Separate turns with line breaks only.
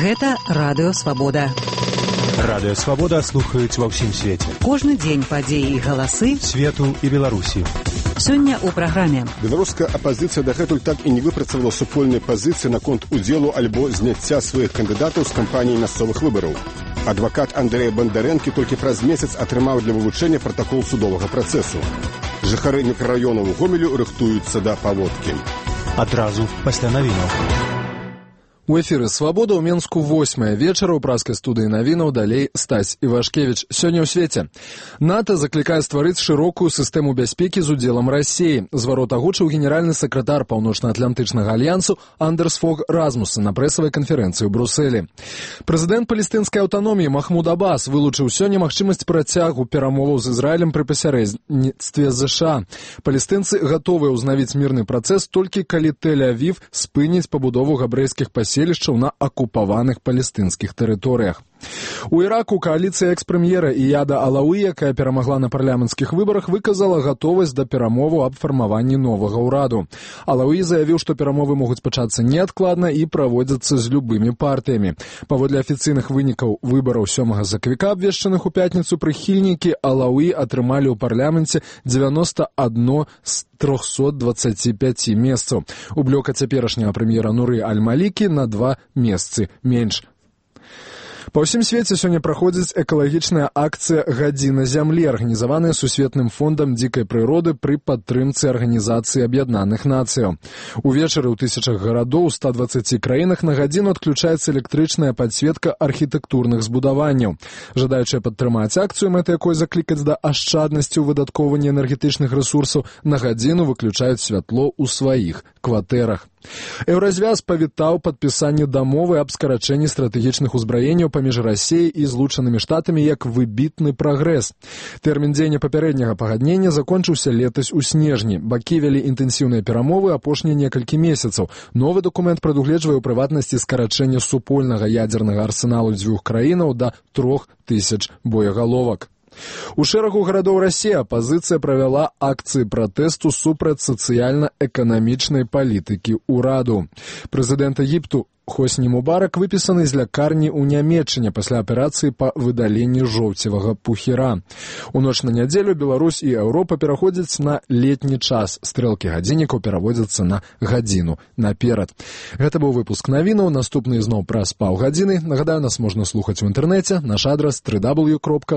Гэта Радыё Свабода.
Радыё Свабода слухаюць ва ўсім свеце.
Кожны дзень падзеі і галасы
свету і Беларусі.
Сёння ў праграме.
Беларуская апазіцыя дагэтуль так і не выпрацавала супольнай пазіцыі наконт удзелу альбо зняцця сваіх кандыдатаў з кампаніі мясцовых выбараў. Адвакат Андрэя Бандарэнкі толькі праз месяц атрымаў для вывучэння пратакол судовага працэсу. Жыхары мікрараёнаў Гомелю рыхтуюцца да паводкі.
Адразу пасля навінаў.
У эфіры «Свабода» ў Менску 8 вечара ў праскай студыі навінаў, далей Стась Івашкевіч. Сёння ў свеце. НАТО заклікае стварыць шырокую сістэму бяспекі з удзелам Расіі. Зварот агучыў генеральны сакратар Паўночна-Атлантычнага альянсу Андерс Фог Размуssen на прэсавай канферэнцыі ў Брусэлі. Прэзідэнт палестынскай аўтаноміі Махмуд Аббас вылучыў сёння магчымасць працягу перамоваў з Ізраілем пры пасярэдніцтве ЗША. Палестынцы гатовыя ўзнавіць мірны працэс толькі калі Тель-Авів спыніць пабудову габрэйскіх паселішчаў на акупаваных палестынскіх тэрыторыях. У Іраку кааліцыя экс-прэм'ера Ияда Алауі, якая перамагла на парламенцкіх выбарах, выказала гатовасць да перамоваў аб фармаванні новага ўраду. Алауі заявіў, што перамовы могуць пачацца неадкладна і праводзяцца з любымі партыямі. Паводле афіцыйных вынікаў выбараў 7 сакавіка, абвешчаных у пятніцу, прыхільнікі Алауі атрымалі ў парламенце 91 з 325 месцаў. У блёка цяперашняга прэм'ера Нуры Аль-Малікі на 2 месцы менш. Па ўсім свеце сёння праходзіць экалагічная акцыя «Гадзіна зямлі», арганізаваная Сусветным фондам дзікай прыроды пры падтрымцы Арганізацыі Аб'яднаных Нацыяў. Увечары ў тысячах гарадоў у 120 краінах на гадзіну адключаецца электрычная падсветка архітэктурных збудаванняў. Жадаючыя падтрымаць акцыю, мэта якой заклікаць да ашчаднасці ў выдаткоўванні энергетычных рэсурсаў, на гадзіну выключаюць святло ў сваіх кватэрах. Еўразвяз павітаў падпісанне дамовы аб скарачэнні стратэгічных узбраенняў паміж Расіяй і Злучанымі Штатамі як выбітны прагрэс. Тэрмін дзеяння папярэдняга пагаднення закончыўся летась у снежні. Бакі вялі інтэнсіўныя перамовы апошнія некалькі месяцаў. Новы дакумент прадугледжвае ў прыватнасці скарачэння супольнага ядзернага арсеналу дзвюх краінаў да 3000 боегаловак. У шэрагу гарадоў Расіі апазіцыя правяла акцыі пратэсту супраць сацыяльна-эканамічнай палітыкі ўраду. Прэзідэнт Егіпту Хосні Мубарак выпісаны з лякарні ў Нямецчыне пасля аперацыі па выдаленні жоўцевага пухіра. У ноч на нядзелю Беларусь і Еўропа пераходзяць на летні час. Стрэлкі гадзіннікаў пераводзяцца на гадзіну наперад. Гэта быў выпуск навінаў. Наступны зноў праз паўгадзіны. Нагадаю, нас можна слухаць у інтэрнэце. Наш адрас www.swabota.org.